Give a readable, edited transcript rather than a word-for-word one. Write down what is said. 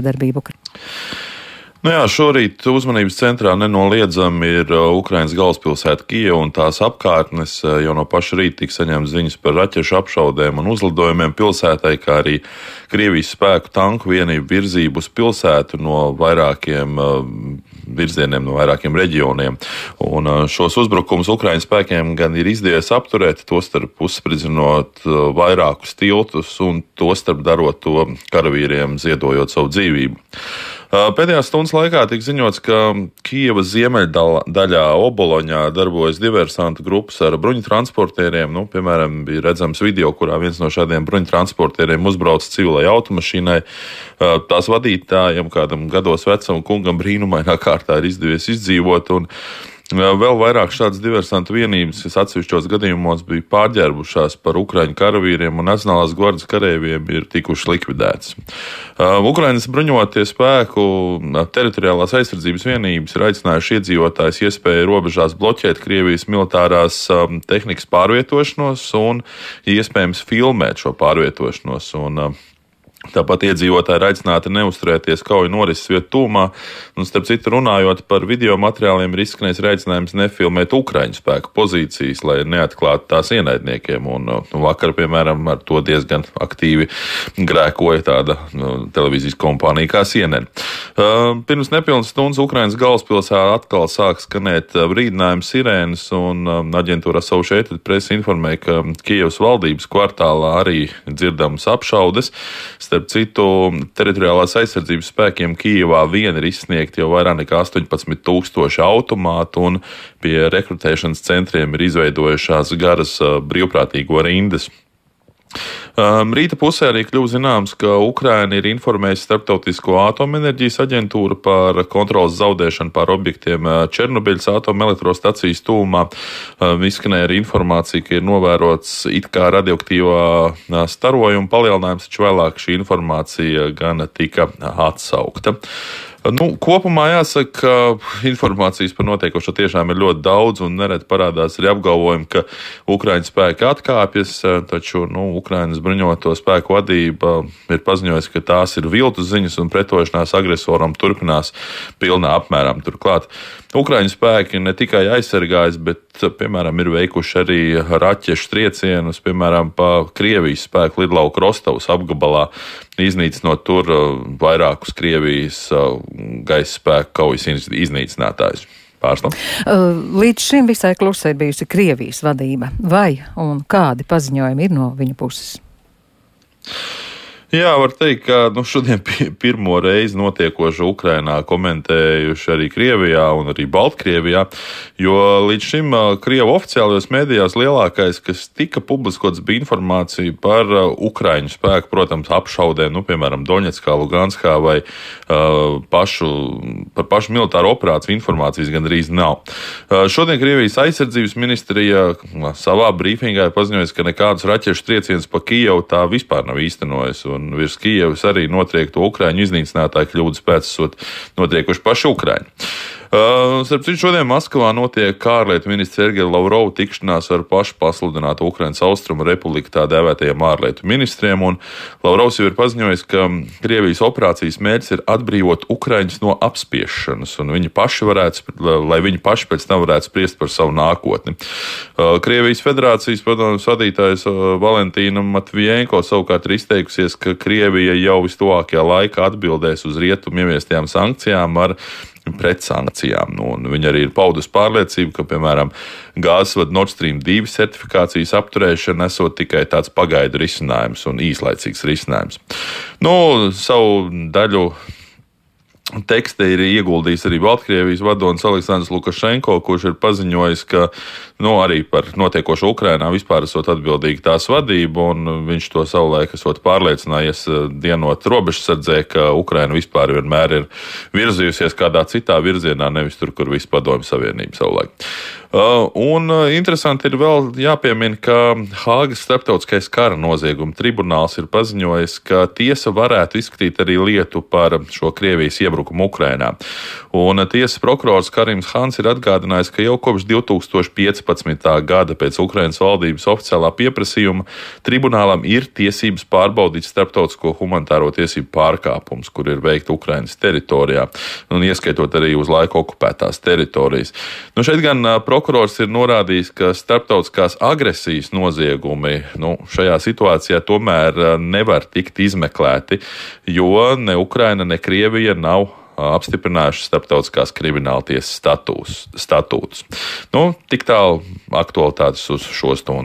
darbību. Nu jā, šorīt uzmanības centrā nenoliedzami ir Ukrainas galvaspilsēta Kijeva un tās apkārtnes. Jau no paša rīta tika saņemts ziņas par raķešu apšaudēm un uzlidojumiem pilsētai, kā arī Krievijas spēku tanku vienību virzību uz pilsētu no vairākiem virzieniem, no vairākiem reģioniem. Un šos uzbrukumus Ukrainas spēkiem gan ir izdevies apturēt, tostarp uzspridzinot vairākus tiltus un tostarp darot to karavīriem ziedojot savu dzīvību. Pēdējās stundas laikā tika ziņots, ka Kijevas ziemeļdaļā Oboloņā darbojas diversantu grupas ar bruņutransportieriem. Piemēram, bija redzams video, kurā viens no šādiem bruņutransportieriem uzbrauc civilai automašīnai. Tās vadītājam, kādam gados vecam kungam brīnumainā kārtā ir izdevies izdzīvot. Un vēl vairāk šādas diversantu vienības, kas atsevišķos gadījumos bija pārģērbušās par ukraiņu karavīriem un Nacionālās gvardes kareiviem, ir tikuši likvidētas. Ukrainas bruņotie spēku teritoriālās aizsardzības vienības ir aicinājuši iedzīvotājus iespēju robežās bloķēt Krievijas militārās tehnikas pārvietošanos un iespējams filmēt šo pārvietošanos. Tāpat iedzīvotāji ir aicināti neuzturēties kauju norises vietu tūmā, un starp citu runājot par video materiāliem ir izskanējis aicinājums nefilmēt Ukraiņu spēku pozīcijas, lai neatklātu tās ienaidniekiem, un vakar, piemēram, ar to diezgan aktīvi grēkoja tāda televīzijas kompānija kā CNN. Pirms nepilnas stundas Ukrainas galvaspilsētā atkal sāk skanēt brīdinājuma sirēnas, un aģentūra Associated Press informēja, ka Kijevas valdības kvartālā arī dzirdams apšaudes. Starp citu, teritoriālās aizsardzības spēkiem Kijevā vien ir izsniegti jau vairāk nekā 18,000 automātu, un pie rekrutēšanas centriem ir izveidojušās garas brīvprātīgo rindas. Rīta pusē arī kļuva zināms, ka Ukraina ir informējusi Starptautisko atomenerģijas aģentūru par kontrolas zaudēšanu pār objektiem Černobiļas atomelektrostacijas tūmā. Izskanēja arī informācija, ka ir novērots it kā radioaktīvā starojuma palielinājums, taču vēlāk šī informācija gan tika atsaukta. Kopumā jāsaka, ka informācijas par notiekošo tiešām ir ļoti daudz, un nereti parādās arī apgalvojumi, ka Ukraiņas spēki atkāpjas, taču Ukrainas bruņoto spēku vadība ir paziņojusi, ka tās ir viltus ziņas un pretošanās agresoram turpinās pilnā apmērā. Turklāt Ukraiņu spēki ne tikai aizsargājas, bet, piemēram, ir veikuši arī raķešu triecienus, piemēram, pa Krievijas spēku lidlauku Rostovas apgabalā, iznīcinot tur vairākus Krievijas gaisa spēku kaujas iznīcinātājus. Pārstāv. Līdz šim visai klusai bijusi Krievijas vadība. Vai un kādi paziņojumi ir no viņa puses? Jā, var teikt, ka šodien pirmo reizi notiekošo Ukrainā komentējuši arī Krievijā un arī Baltkrievijā, jo līdz šim Krievu oficiālajos mēdījos lielākais, kas tika publiskots, bija informācija par Ukraiņu spēku, protams, apšaudēm, piemēram, Doņetskā, Luganskā vai par pašu militāro operāciju informācijas gandrīz nav. Šodien Krievijas aizsardzības ministrija savā brīfingā ir paziņojusi, ka nekādus raķešu triecienus pa Kijevu tā vispār nav īstenojusi. Un virs Kijevas arī notriekto Ukraiņu iznīcinātāju kļūdas pēc esot notriekuši paši Ukraiņi. Starp citu, šodien Maskavā notiek ārlietu ministra Sergeja Lavrova tikšanās ar pašu pasludinātu Ukrainas Austrumu republiku tā dēvētajiem ārlietu ministriem, un Lavrovs jau ir paziņojis, ka Krievijas operācijas mērķis ir atbrīvot Ukraiņus no apspiešanas, un lai viņi paši pēc tam varētu spriest par savu nākotni. Krievijas federācijas padomjas vadītājs Valentīna Matvijenko savukārt ir izteikusies, ka Krievija jau vistuvākajā laikā atbildēs uz rietumu ieviestajām sankcijām ar pretsankcijām. Viņa arī ir paudusi pārliecību, ka, piemēram, gāzesvada Nord Stream 2 certifikācijas apturēšana esot tikai tāds pagaidu risinājums un īslaicīgs risinājums. Savu daļu tekstē ir ieguldījis arī Baltkrievijas vadonis Aleksandrs Lukašenko, kurš ir paziņojis, ka arī par notiekošo Ukrainā vispār esot atbildīgi tās vadība, un viņš to savulaik esot pārliecinājies dienot robežsardzē, ka Ukraina vispār vienmēr ir virzījusies kādā citā virzienā, nevis tur, kur viss padomju savienība savulaik. Un interesanti ir vēl jāpiemina, ka Hāgas starptautiskais kara nozieguma tribunāls ir paziņojis, ka tiesa varētu izskatīt arī lietu par šo Krievijas iebrukumu Ukrainā. Un tiesas prokurors Karims Hans ir atgādinājis, ka jau kopš 2015. gada pēc Ukrainas valdības oficiālā pieprasījuma tribunālam ir tiesības pārbaudīt starptautisko humanitāro tiesību pārkāpumus, kur ir veikti Ukrainas teritorijā, un ieskaitot arī uz laiku okupētās teritorijas. Šeit gan prokurors ir norādījis, ka starptautiskās agresijas noziegumi šajā situācijā tomēr nevar tikt izmeklēti, jo ne Ukraina, ne Krievija nav apstiprinājuši starptautiskās krimināltiesas statūtus. Tik tālu aktualitātes uz šo stundu.